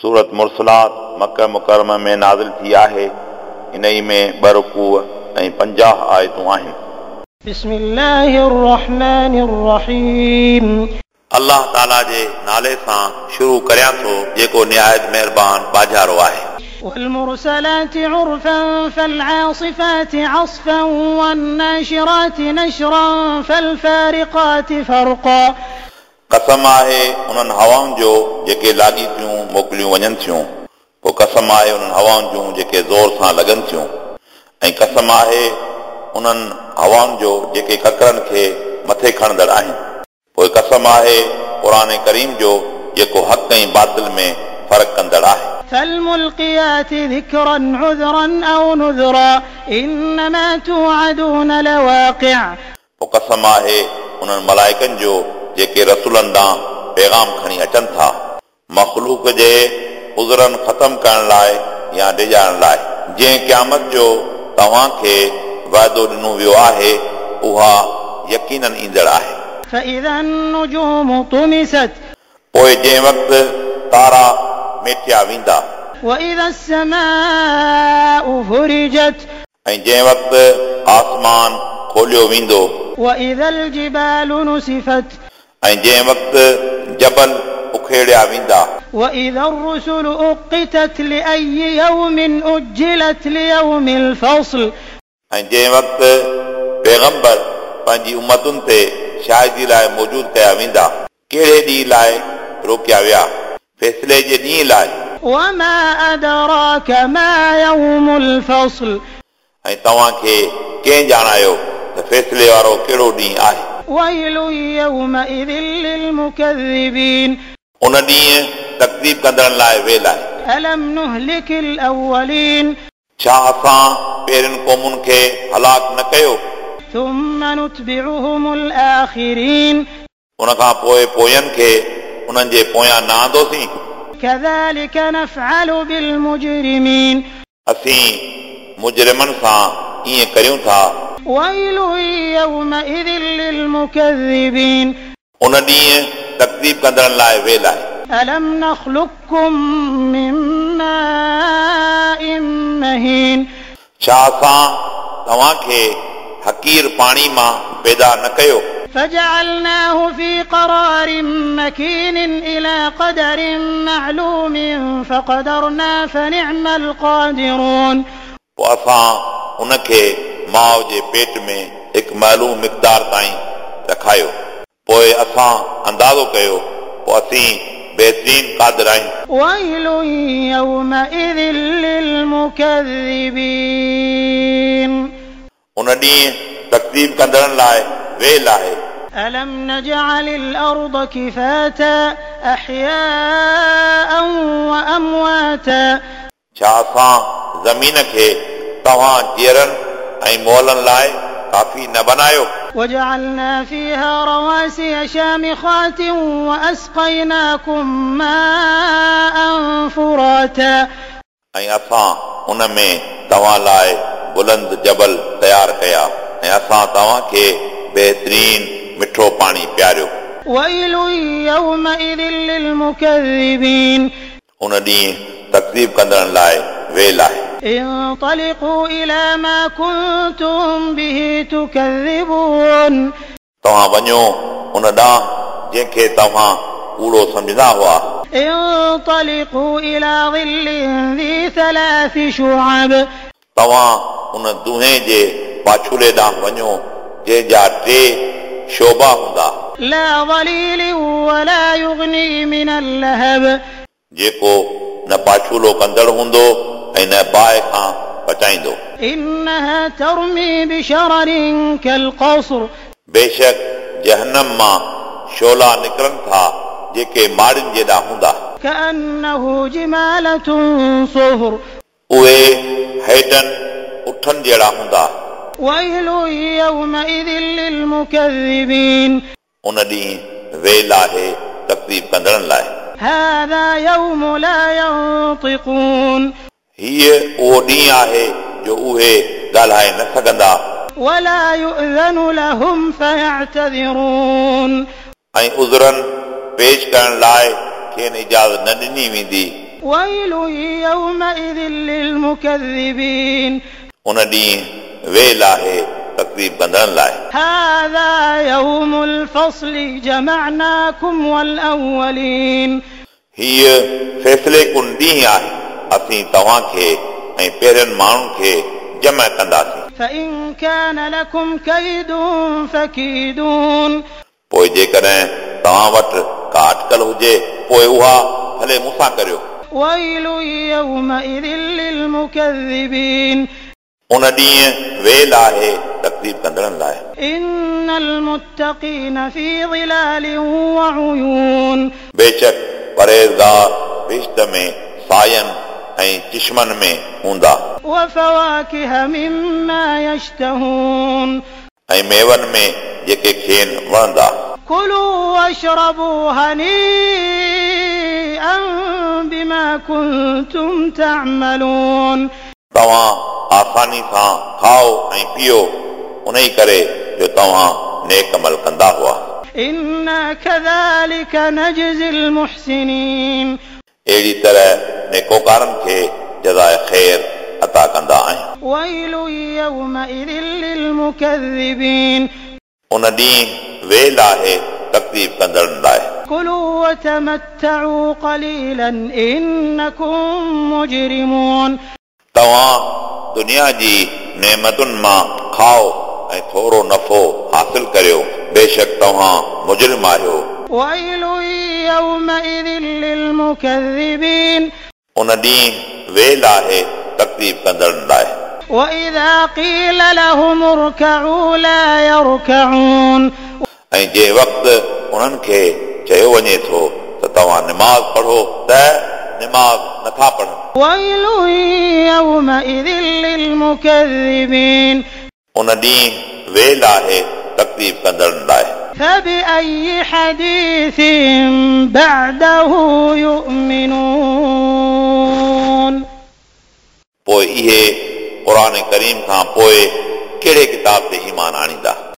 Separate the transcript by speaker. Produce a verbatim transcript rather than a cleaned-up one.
Speaker 1: सूरत मुरसलात मक्का मुकर्रमा में नाज़िल थी आहे। इन्हई में ॿ रुकूअ ऐं पंजाह आयतूं आहिनि।
Speaker 2: बिस्मिल्लाहिर रहमानिर रहीम।
Speaker 1: अल्लाह ताला जे नाले सां शुरू करियां थो जेको निहायत महिरबान बाजारो आहे।
Speaker 2: والمرسلات عرفا فالعاصفات عصفا والناشرات نشرا فالفارقات فرقا।
Speaker 1: कसम आहे उन्हनि हवाउनि जो जेके लागीतियूं मोकिलियूं वञनि थियूं, पोइ कसम आहे उन्हनि हवाउनि जूं जेके ज़ोर सां लॻनि थियूं, ऐं कसम आहे उन्हनि हवाउनि जो जेके ककरनि खे मथे खणंदड़ आहिनि। पोइ कसम आहे क़ुर करीम जो जेको हक़ ऐं बातिल में फ़र्क़ु कंदड़ आहे।
Speaker 2: فالملقيات ذكرا عذرا أو نذرا إنما توعدون لواقع।
Speaker 1: पोइ कसम आहे उन्हनि मलाइकनि जो जेके रसूलनि ॾांहुं पैगाम खणी अचनि था, मख़लूक जे उज़रनि ख़तमु करण लाइ या डिॼाइण लाइ। जंहिं क़यामत जो तव्हांखे वाइदो ॾिनो वियो आहे उहा यकीनन ईंदड़ आहे।
Speaker 2: فإذا النجوم طمست।
Speaker 1: पोइ जंहिं वक़्तु तारा मेटिया वेंदा।
Speaker 2: وإذا السماء فرجت।
Speaker 1: ऐं जंहिं वक़्तु आसमान खोलियो वेंदो।
Speaker 2: وإذا الجبال نسفت।
Speaker 1: ऐं जंहिं वक़्तु जबल उखेड़िया वेंदा।
Speaker 2: وإذا الرسل أقتت لأي يوم أجلت ليوم الفصل।
Speaker 1: ऐं जंहिं वक़्तु पैगंबर पंहिंजी उम्मतुनि ते शाहिदी लाइ मौजूद कया वेंदा, कहिड़े ॾींहं लाइ रोकिया विया? फ़ैसिले जे ॾींहं लाइ।
Speaker 2: وما أدراك ما يوم الفصل।
Speaker 1: ऐं तव्हांखे कंहिं ॼाणायो त फ़ैसिले वारो कहिड़ो ॾींहुं आहे?
Speaker 2: ويل يومئذ للمكذبين।
Speaker 1: उन ॾींहुं तकदीब कंदड़नि लाइ वेल आहे।
Speaker 2: ألم نهلك الأولين।
Speaker 1: छा असां पहिरियुनि क़ौमुनि खे हलाक न कयो?
Speaker 2: ثم نتبعهم الآخرين।
Speaker 1: उन खां पोइ पोयनि खे उन्हनि जे पोयां न आंदोसीं।
Speaker 2: كذلك نفعل بالمجرمين।
Speaker 1: असीं मुजरिमनि सां ईअं करियूं था।
Speaker 2: ويل يومئذ للمكذبين।
Speaker 1: उन ॾींहुं तकदीब कंदड़नि लाइ वेल आहे।
Speaker 2: ألم نخلقكم من ماء مهين।
Speaker 1: छा असां तव्हांखे हकीर पाणी मां पैदा न कयो?
Speaker 2: فجعلناه في قرار مكين إلى قدر معلوم فقدرنا فنعم القادرون।
Speaker 1: पोइ असां उनखे माउ जे पेट में हिकु मालूम मिक़दार ताईं रखायो, पोइ असां अंदाज़ो कयो, पोइ असीं बहितरीन क़ादिर आहियूं।
Speaker 2: ويل يومئذ للمكذبين।
Speaker 1: उन ॾींहुं तकदीब कंदड़नि लाइ वेल आहे।
Speaker 2: ألم نجعل الأرض كفاتا أحياء وأمواتا।
Speaker 1: छा असां ज़मीन खे तव्हां जीअरनि ऐं मुअलनि लाइ काफ़ी न बनायो?
Speaker 2: وجعلنا فيها رواسي شامخات وأسقيناكم ماء فراتا।
Speaker 1: ऐं असां उन में तव्हां लाइ बुलंद जबल तयारु कया ऐं असां तव्हांखे बहितरीन मिठो पाणी पीआरियो।
Speaker 2: ويل يومئذ للمكذبين।
Speaker 1: उन ॾींहुं तकदीब कंदड़नि लाइ वेल आहे।
Speaker 2: انطلقوا إلى ما كنتم به تكذبون।
Speaker 1: तव्हां वञो उन ॾांहुं जंहिंखे तव्हां कूड़ो सम्झंदा हुआ।
Speaker 2: انطلقوا إلى ظل ذي ثلاث شعب।
Speaker 1: तव्हां उन दुहे जे पाछूले ॾांहुं वञो जंहिंजा टे शोबा हूंदा।
Speaker 2: لا ظليل ولا يغني من اللهب।
Speaker 1: जेको न पाछूलो कंदड़ हूंदो ऐं न बाहि खां बचाईंदो।
Speaker 2: إنها ترمي بشرر كالقصر।
Speaker 1: बेशक जहन्नम मां शोला निकिरनि था जेके माड़ियुनि जेॾा हूंदा।
Speaker 2: كأنه جمالة صفر।
Speaker 1: उहे हेॾनि उठनि जहिड़ा हूंदा।
Speaker 2: ويل يومئذ للمكذبين।
Speaker 1: उन ॾींहुं वेल आहे तकदीब कंदड़नि लाइ।
Speaker 2: هذا يوم لا ينطقون।
Speaker 1: हीअ उहो ॾींहुं आहे जो उहे ॻाल्हाए न सघंदा।
Speaker 2: ولا يؤذن لهم فيعتذرون।
Speaker 1: ऐं उज़रनि पेश करण लाइ खेनि इजाज़त न ॾिनी वेंदी।
Speaker 2: ويل يومئذ للمكذبين
Speaker 1: उन ॾींहुं वेल आहे तकलीफ़ कंदड़नि लाइ।
Speaker 2: هذا يوم الفصل جمعناكم والأولين
Speaker 1: हीअ फ़ैसिले कुन ॾींहुं आहे, असीं तव्हांखे ऐं पहिरियनि माण्हुनि खे जमा कंदासीं।
Speaker 2: فإن كان لكم كيد فكيدون
Speaker 1: पोइ जेकॾहिं तव्हां वटि का अटकल हुजे पोइ उहा भले मूंसां करियो।
Speaker 2: ويل يومئذ للمكذبين
Speaker 1: उन ॾींहुं वेल आहे तकलीफ़ कंदड़नि लाइ।
Speaker 2: إن المتقين في ظلال وعيون
Speaker 1: बेशक परहेज़गार बहिश्त में सायनि ऐं चिश्मनि में हूंदा।
Speaker 2: وفواكه مما يشتهون
Speaker 1: ऐं मेवनि में जेके खेनि वणंदा।
Speaker 2: كلوا واشربوا هنيئا بما كنتم تعملون
Speaker 1: तव्हां आसानी सां खाओ ऐं पियो उन ई करे जो तव्हां नेक अमल कंदा हुआ।
Speaker 2: إنا كذلك نجزي المحسنين
Speaker 1: अहिड़ी तरह नेकोकारनि खे जज़ाए ख़ैर अता कंदा आहियूं।
Speaker 2: ويل يومئذ للمكذبين
Speaker 1: उन ॾींहुं वेल आहे तकलीफ़ कंदड़नि लाइ।
Speaker 2: كلوا وتمتعوا قليلا إنكم مجرمون
Speaker 1: तव्हां दुनिया जी नेमतुनि मां खाओ ऐं थोरो नफ़ो हासिल करियो, बेशक तव्हां मुजरिम आहियो।
Speaker 2: ويل يومئذ للمكذبين
Speaker 1: उन ॾींहुं वेल आहे तकलीफ़ कंदड़नि लाइ।
Speaker 2: وإذا قيل لهم اركعوا لا يركعون
Speaker 1: ऐं जंहिं वक़्तु उन्हनि खे चयो वञे थो त तव्हां निमाज़ पढ़ो त निमाज़ नथा पढ़नि।
Speaker 2: ويل يومئذ للمكذبين
Speaker 1: उन ॾींहुं वेल आहे तकलीफ़ कंदड़नि लाइ।
Speaker 2: فبأي حديث بعده يؤمنون
Speaker 1: पोइ इहे क़ुर करीम खां पोइ कहिड़े किताब ते ईमान आणींदा।